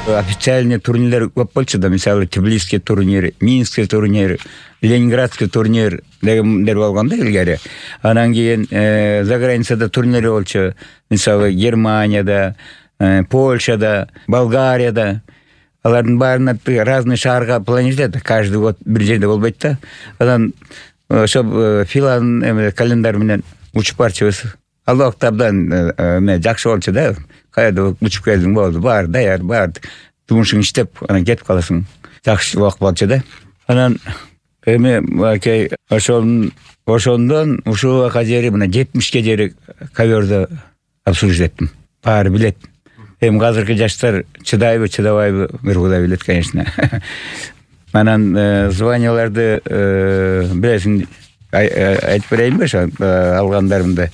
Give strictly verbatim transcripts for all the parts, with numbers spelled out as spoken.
Официальный турнирлер көп болчу да, мисалы Тбилисский турнир, Минский турнир, Ленинградский турнир дегендер болгондо илгери. Анан кийин за границада турнирлер болчу. Мисалы Германияда, Польшада, Болгарияда. Алардын баарына разный шаарга планировать, каждый год бир жерде болбойт да. Анан ошо филан календарь менен учуп барчыбыз. Ал убакта абдан эме жакшы болчу да. Кайда учуп келдиң болду, бар, даяр, бар. Жумушуң иштеп, анан кетип каласың. Жакшы убакыт болчу да. Анан эми акей ошол ошондон ушул убакка жери мына жетимишке жери коверди обслуживать эттим. Баары билет. Эми азыркы жаштар чыдайбы, чыдабайбы, бир Кудай билет, конечно. Анан званияларды билесиң, айтып берейинби ошо алгандарымды.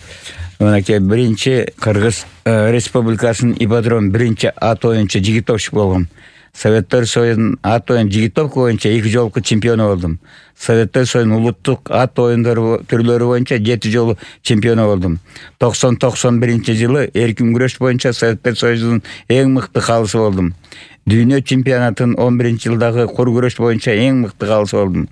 Мынакей биринчи Кыргыз Республикасынын ипподром биринчи ат оюнчу жигитовчу болгом. Советтер Союзунун ат оюн жигитовка боюнча эки жолку чемпиону болдум. Советтер Союзунун улуттук ат оюндары түрлөрү боюнча жети жолу чемпиону болдум. токсон токсон биринчи жылы эркин күрөш боюнча Советтер Союзунун эң мыкты калысы болдум. Дүйнө чемпионатынын он биринчи жылдагы кур күрөш боюнча эң мыкты калысы болдум.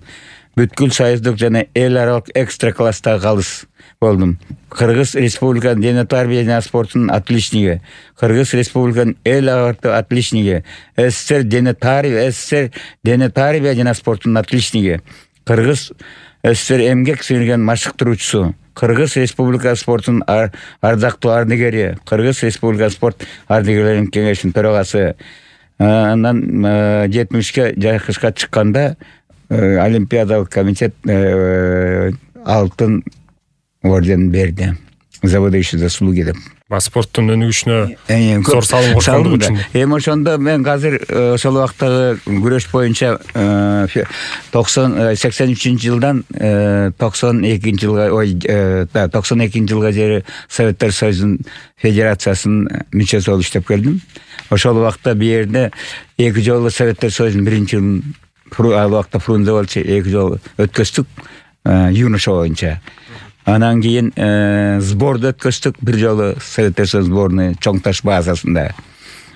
Бүткүл союздук жана эл аралык экстра класстагы калыс болдум. Кыргыз Республиканын дене тарбия жана спортунун отличниги, Кыргыз Республиканын эл аралык отличниги, СССР дене тарбия, СССР дене тарбия жана спортунун отличниги, Кыргыз СССР эмгек сіңирген машыктыруучусу, Кыргыз Республика спортунун ардактуу ардыгери, Кыргыз Республика спорт ардыгерлеринин кеңешинин төрагасы. Анан жетимишке жайкышка чыкканда Олимпиадалык комитет алтын орден берди. За выдающие заслуги деп. Спорттун өнүгүшүнө зор салым кошкондугу үчүн. Эми ошондо мен азыр ошол убактагы күрөш боюнча сексен үчүнчү жылдан токсон экинчи жылга, ой, токсон экинчи жылга жери Советтер Союзунун федерациясынын мүчөсү болуп иштеп келдим. Ошол убакта бу жерде эки жолу Советтер Союзунун биринчи жылын ал убакта Фрунзе болчу, эки жолу өткөздүк юноша боюнча. Анан кийин сборду өткөздүк бир жолу Советтер Союз сборный Чоң Таш базасында.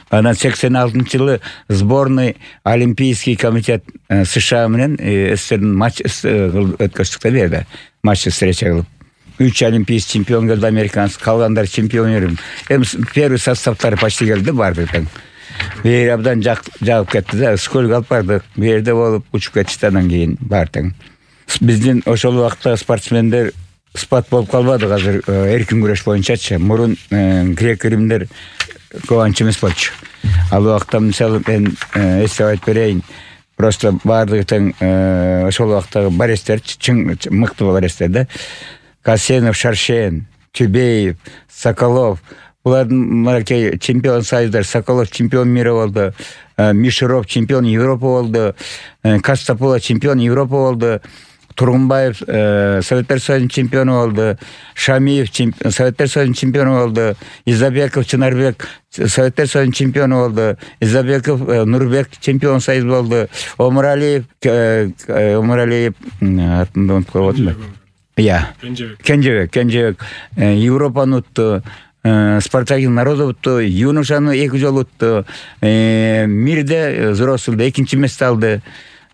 Анан сексен алтынчы жылы сборный Олимпийский комитет США менен СССРдин матч өткөздүк да берди. Матч встреча кылып. Үч олимпийский чемпион келди, американец, калгандар чемпион берди. Эми первый составтары почти келди, барды тең. Бери абдан жагып кетти да, сколько алып бардык. Бу жерде болуп учуп кетишти, анан кийин бар тең. Биздин ошол убакта спортсмендер спат болуп калбады, азыр эркин күрөш боюнчачы. Мурун грек-римдер кованчы эмес болчу. Ал убакта мисалы мен эстеп айтып берейин. Просто бардыгы тең ошол убактагы барестер, чың мыкты барестер да. Касенов, Шаршен, Тюбеев, Соколов. Булардын мынакей чемпион союздар, Соколов чемпион мира болду, Мишуров чемпион Европа болду, Кастапула чемпион Европа болду, Тургунбаев Советтер Союзунун чемпиону болду, Шамиев Советтер Союзунун чемпиону болду, Изабеков Чынарбек Советтер Союзунун чемпиону болду, Изабеков Нурбек чемпион союз болду, Омуралиев Омуралиев атын унутуп коюп. Я. Кенжебек, Кенжебек Европаны утту. Спартаки народу утту, юношаны эки жолу утту. Мирде взрослыйда экинчи месте алды.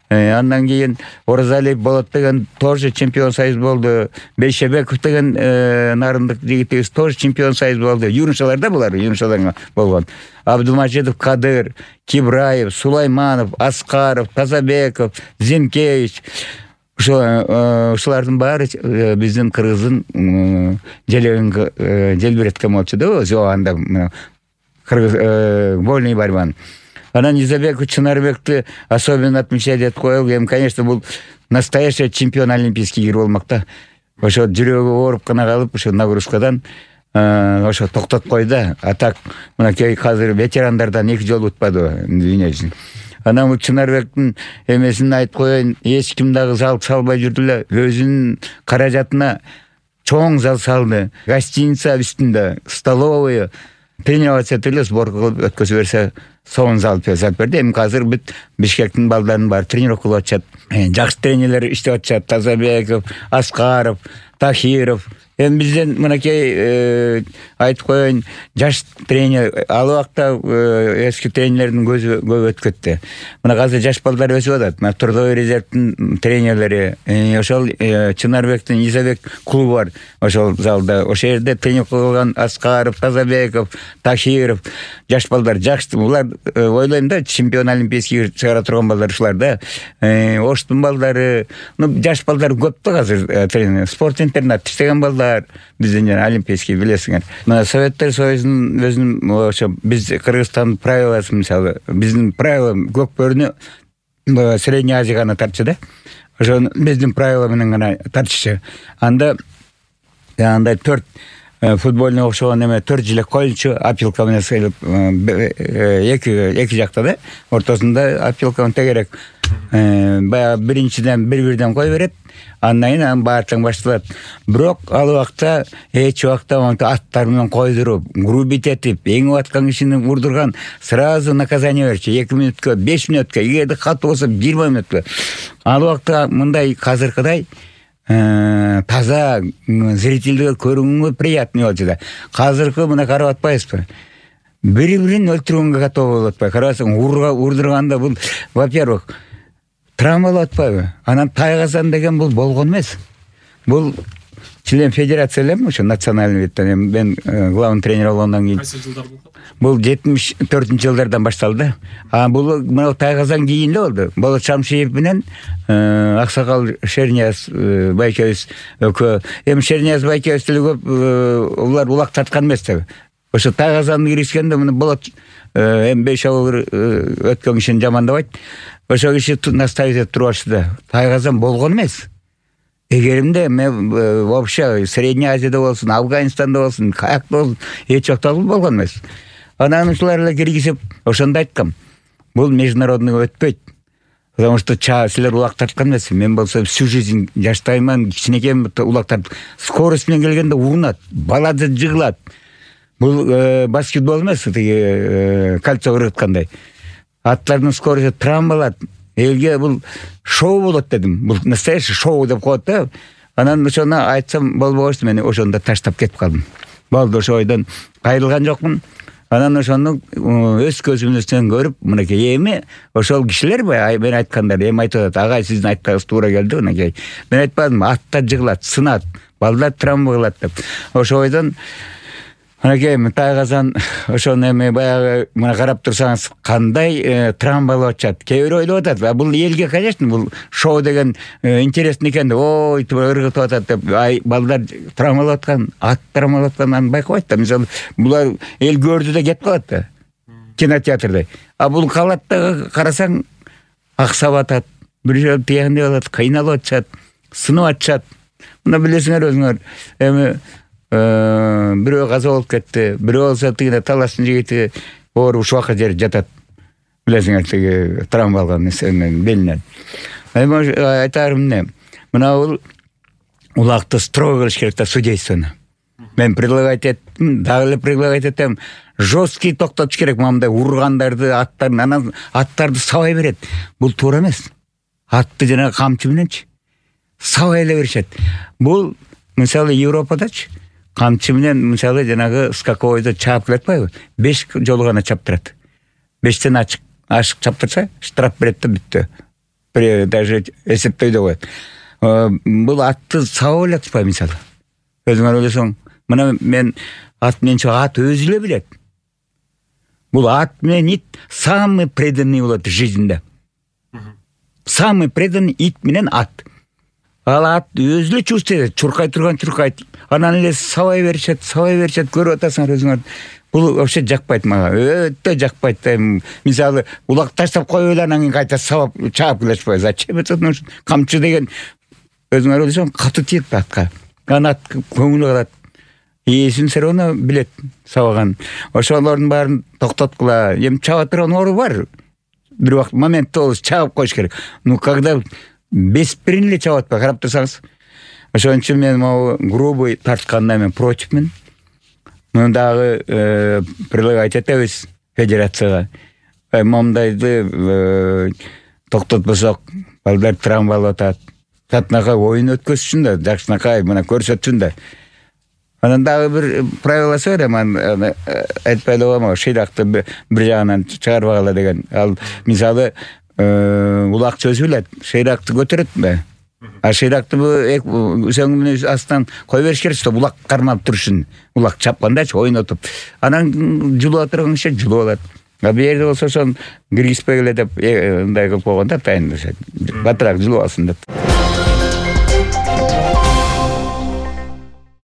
Андан кийин Оразалиев Болот деген тоже чемпион союз болду. Бейшебеков деген нарындык жигитибиз тоже чемпион союз болду. Юношаларда булар, юношаларга болгон. Абдулмажидов Кадыр, Кибраев, Сулайманов, Аскаров, Тазабеков, Зинкевич. Ушулардын баары биздин кыргыздын желегинге желбиреткен болчу да, анда кыргыз вольный борьбаны. Анан Изабеков Чынарбекти особенно отмечать этип коелу. Эми, конечно, бул настоящий чемпион Олимпийский игр болмок да. Ошо жүрөгү ооруп гана калып, ошо нагрузкадан ошо токтотуп койду. А так мынакей азыр ветерандардан эки жолу утпады дүйнө жүзүн. Анан Чынарбектин эмесин айтып коеюн, эч ким дагы зал салбай жүрдү эле. Өзүнүн каражатына чоң зал салды. Гостиница үстүндө, столовая, тренироваться этели, сборка кылып өткөзүп берсе, сонун зал салып берди. Эми азыр бүт Бишкектин балдарынын баары тренировка кылып атышат. Жакшы тренерлер иштеп атышат. Тазабеков, Аскаров, Тахиров, эми бизден мынакей айтып коеюн, жаш тренер ал убакта эски тренерлердин көзү көп өтүп кетти. Мына азыр жаш балдар өсүп атат. Мына трудовой резервдин тренерлери, ошол Чынарбектин Изабек клубу бар. Ошол залда, ошол жерде тренер кылган Аскаров, Тазабеков, Тахиров жаш балдар жакшы. Булар ойлойм да, чемпион олимпийский чыгара турган балдар ушулар да. Оштун балдары, ну жаш балдар көп да азыр тренер. Спорт интернат иштеген балдар бизден жана олимпийский билесиңер. Мына Советтер Союзунун өзүнүн ошо биз Кыргызстандын правиласы, мисалы биздин правила көкбөрүнү Средняя Азия гана тартчу да. Ошо биздин правила менен гана тартчу. Анда андай төрт футболуна окшогон эме төрт жилек коюлчу, опилка менен сыйлып эки эки жакта да, ортосунда опилка тегерек. Баягы биринчиден бир-бирден кой берет, андан кийин анын баардыгы башталат. Бирок ал убакта эч убакта аттар менен койдуруп, грубить этип, эңип аткан кишини урдурган сразу наказание берчү. эки мүнөткө, беш мүнөткө, эгерде катуу болсо жыйырма мүнөткө. Ал убакта мындай казыркыдай таза зрительдерге көрүүгө приятный болчу да. Казыркы мына карап атпайсызбы? Бири-бирин өлтүргөнгө готов болуп атпайбы? Карасаң, урдурганда бул, во-первых, травма болуп атпайбы? Анан Тайгазан деген бул болгон эмес. Бул член федерация элем, ошо национальный видден мен главный тренер болгондон кийин. Кайсы жылдар болду? Бул жетимиш төртүнчү жылдардан башталды. А бул мына Тайгазан кийин эле болду. Болот Шамшиев менен Аксакал Шернияз байкебиз экөө. Эми Шернияз байкебиз деле көп улар улак тарткан эмес да. Ошо Тайгазанды киришкенде мына болот эми беш авыл өткөн кишини жамандабайт. Ошо киши наставить этип турбаштı да. Тайгазан болгон эмес. Эгеримде мен вообще Средняя Азияда болсун, Афганистанда болсун, каякта болсун, эч жакта болгон эмес. Анан ушулар эле киргизип, ошондо айткам. Бул международный өтпөйт. Потому что чаа силер улак тарткан эмес. Мен болсо всю жизнь жаштайман, кичинекейм улак тартып, скорость менен келгенде урунат, балады жыгылат. Бул баскетбол эмес, тиги кольцо ырыткандай. Аттардын скорости травмалат. Элге бул шоу болот дедим. Бул настоящий шоу деп коет да. Анан ошону айтсам болбогочту, мен ошондо таштап кетип калдым. Болду, ошо ойдон кайрылган жокмун. Анан ошону өз көзүмүздөн көрүп, мынакей эми ошол кишилер мен айткандар, эми айтып атат, агай сиздин айтканыңыз туура келди, мынакей. Мен айтпадым, аттар жыгылат, сынат, балдар травма кылат деп. Ошо ойдон мынакей Тайгазан ошону эми баягы мына карап турсаңыз кандай травма болуп атат. Кээ бирөө ойлоп атат, бул элге, конечно, бул шоу деген интересный экен деп, ой, ыргытып атат деп, ай балдар травмалап аткан, ат травмалап атканын байкабайт да. Мисалы, булар эл көрдү да кетип калат да. Кинотеатрда. А бул калат да, карасаң аксап атат, бир жолу тиягандай болот, кыйналып атышат, сынып атышат. Мына билесиңер өзүңөр, эми бирөө каза болуп кетти, бирөө болсо тигине талаштын жигити ооруп ушуга жер жатат. Билесиңер, тиги травма алган эсенен белинен. Эми айтарым эмне? Мына бул улакты строго кылыш керек да, судействону. Мен предлагать эттим, дагы эле предлагать этем, жесткий токтотуш керек мындай ургандарды, аттарды, анан аттарды сабай берет. Бул туура эмес. Атты жана камчы мененчи сабай эле беришет. Бул мисалы Европадачы камчы менен мисалы жанагы скаковойдо чаап келатпайбы? беш жолу гана чаптырат. бештен ачык ашык чаптырса штраф берет да, бүттү. Даже эсептөй да коет. Бул атты сабап эле атпайбы мисалы. Өзүңөр ойлосоң, мына мен ат менен чыга, ат өзү эле билет. Бул ат менен ит самый преданный болот жизньде. Самый преданный ит менен ат. Ал ат өзү эле чувствует, чуркай турган чуркайт. Анан эле сабай беришет, сабай беришет, көрүп атасыңар өзүңөр. Бул вообще жакпайт мага. Өтө жакпайт да. Мисалы, улак таштап коюп эле анан кийин кайта сабап чаап келишпайбы. Зачем это нужно? Камчы деген өзүңөр ойлосоң катуу тиет атка. Анан ат көңүлү калат. Ээсин все равно билет сабаган. Ошолордун баарын токтоткула. Эми чаба турган ору бар. Бир убакыт моментте болуп чаап коюш керек. Ну когда бесприн эле чабат ба, карап турсаңыз. Ошон үчүн мен могу грубый тартканда мен противмин. Муну дагы предлагать этебиз федерацияга. Мондайды токтотпосок, балдар травма болуп атат. Татынакай оюн өткөзүшүн да, жакшынакай мына көрсөтсүн да. Анан дагы бир правиласы бар, аны айтпай эле коем, шыйракты бир жагынан чыгарбагыла деген. Ал мисалы улак чөзүлөт, шыйракты көтөрөтпү? А шыйракты сөңүнүн астынан кое бериш керек, чтобы улак кармап турушун. Улак чапкандачы ойнотуп. Анан жулуп турганча жулуп алат. А бу жерде болсо ошон киргизбегиле деп мындай кылып койгон да, атайын батыраак жулуп алсын деп.